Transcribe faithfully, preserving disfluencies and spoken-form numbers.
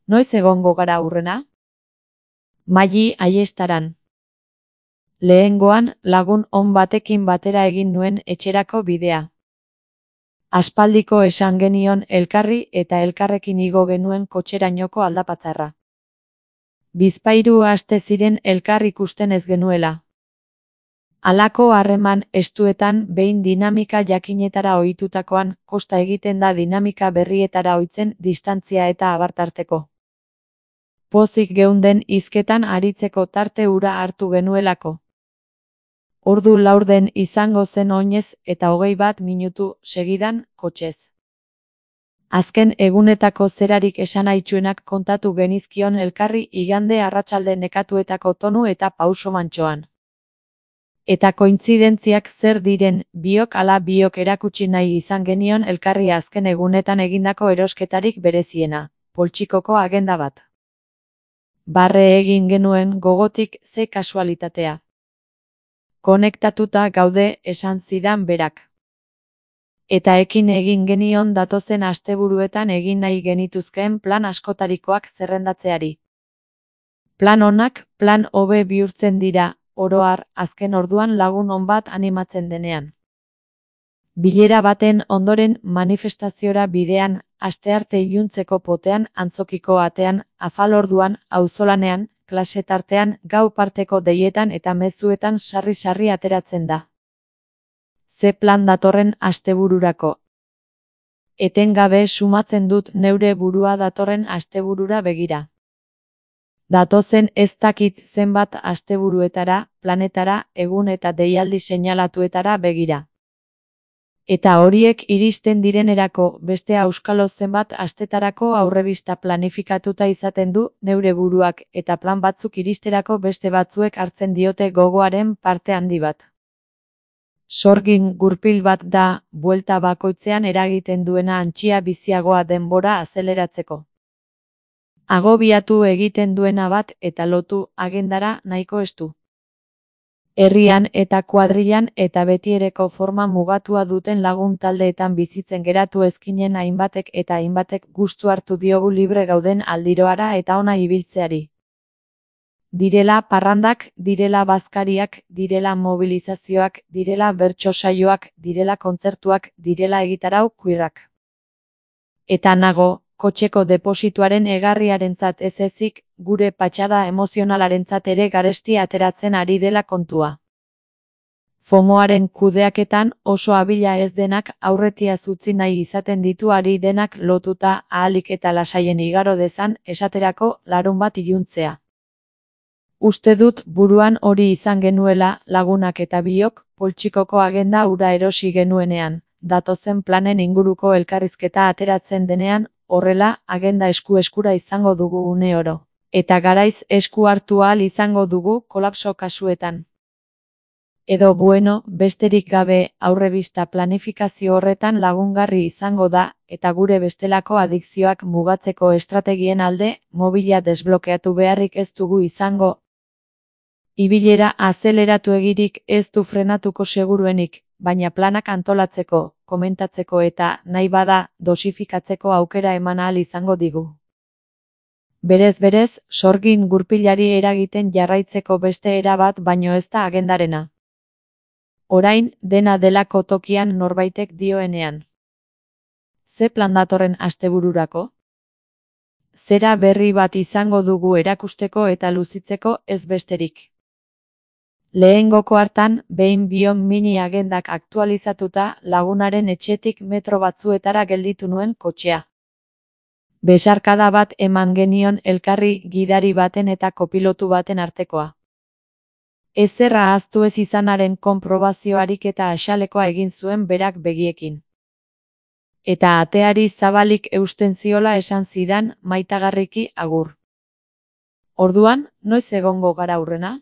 Noiz egongo gara hurrena? Maili Aiestaran. Lehengoan lagun on batekin batera egin nuen etxerako bidea. Aspaldiko esan genion elkarri eta elkarrekin igo genuen kotxerainoko aldapatzarra. Bizpahiru aste ziren elkar ikusten ez genuela. Halako harreman estuetan behin dinamika jakinetara ohitutakoan kosta egiten da dinamika berrietara ohitzen distantzia eta abartarteko. Pozik geunden hizketan aritzeko tarte hura hartu genuelako. Ordu laurden izango zen oinez eta hogei bat minutu segidan kotxez. Azken egunetako zerarik esanaitsuenak kontatu genizkion elkarri igande arratsalde nekatuetako tonu eta pauso mantsoan. Eta kointzidentziak zer diren, biok ala biok erakutsi nahi izan genion elkarri azken egunetan egindako erosketarik bereziena, poltsikoko agenda bat. Barre egin genuen gogotik ze kasualitatea. Konektatuta gaude esan zidan berak. Eta ekin egin genion datozen asteburuetan egin nahi genituzkeen plan askotarikoak zerrendatzeari. Plan onak plan hobe bihurtzen dira, oro har, azken orduan lagun on bat animatzen denean. Bilera baten ondoren manifestaziora bidean, astearte iluntzeko potean, antzokiko atean, afal orduan, auzolanean, klase tartean, gau parteko deietan eta mezuetan sarri-sarri ateratzen da. Ze plan datorren astebururako. Etengabe sumatzen dut neure burua datorren asteburura begira. Datozen ez dakit zenbat asteburuetara, planetara, egun eta deialdi seinalatuetara begira. Eta horiek iristen direnerako beste auskalo zenbat astetarako aurrebista planifikatuta izaten du neure buruak eta plan batzuk iristerako beste batzuek hartzen diote gogoaren parte handi bat. Sorgin gurpil bat da, buelta bakoitzean eragiten duena antxia biziagoa denbora azeleratzeko. Agobiatu egiten duena bat eta lotu agendara nahiko estu. Herrian eta kuadrilan eta betiereko forma mugatua duten lagun taldeetan bizitzen geratu ezkinen hainbatek eta hainbatek gustu hartu diogu libre gauden aldiroara eta ona ibiltzeari. Direla parrandak, direla bazkariak, direla mobilizazioak, direla bertso saioak, direla kontzertuak, direla egitarau kuirrak. Eta nago, kotxeko deposituaren egarriarentzat ez ezik, gure patxada emozionalarentzat ere garesti ateratzen ari dela kontua. Fomoaren kudeaketan oso abila ez denak aurretiaz utzi nahi izaten ditu ari denak lotuta ahalik eta lasaien igaro dezan esaterako larun bat iluntzea. Uste dut buruan hori izan genuela lagunak eta biok poltsikoko agenda hura erosi genuenean, datozen planen inguruko elkarrizketa ateratzen denean, horrela agenda esku-eskura izango dugu une oro. Eta garaiz esku hartu ahal izango dugu kolapso kasuetan. Edo bueno, besterik gabe aurrebista planifikazio horretan lagungarri izango da, eta gure bestelako adikzioak mugatzeko estrategien alde, mobila desblokeatu beharrik ez dugu izango. Ibilera azeleratu egirik ez du frenatuko seguruenik, baina planak antolatzeko, komentatzeko eta, nahi bada, dosifikatzeko aukera eman ahal izango digu. Berez berez, sorgin gurpilari eragiten jarraitzeko beste era bat baino ez da agendarena. Orain, dena delako tokian norbaitek dioenean. Ze plan datorren astebururako? Zera berri bat izango dugu erakusteko eta luzitzeko ez besterik. Lehengoko hartan, behin bion mini agendak aktualizatuta lagunaren etxetik metro batzuetara gelditu nuen kotxea. Besarkada bat eman genion elkarri gidari baten eta kopilotu baten artekoa. Ezerra ahaztu ez izanaren konprobazioarik eta axalekoa egin zuen berak begiekin. Eta ateari zabalik eusten ziola esan zidan maitagarriki agur. Orduan, noiz egongo gara hurrena?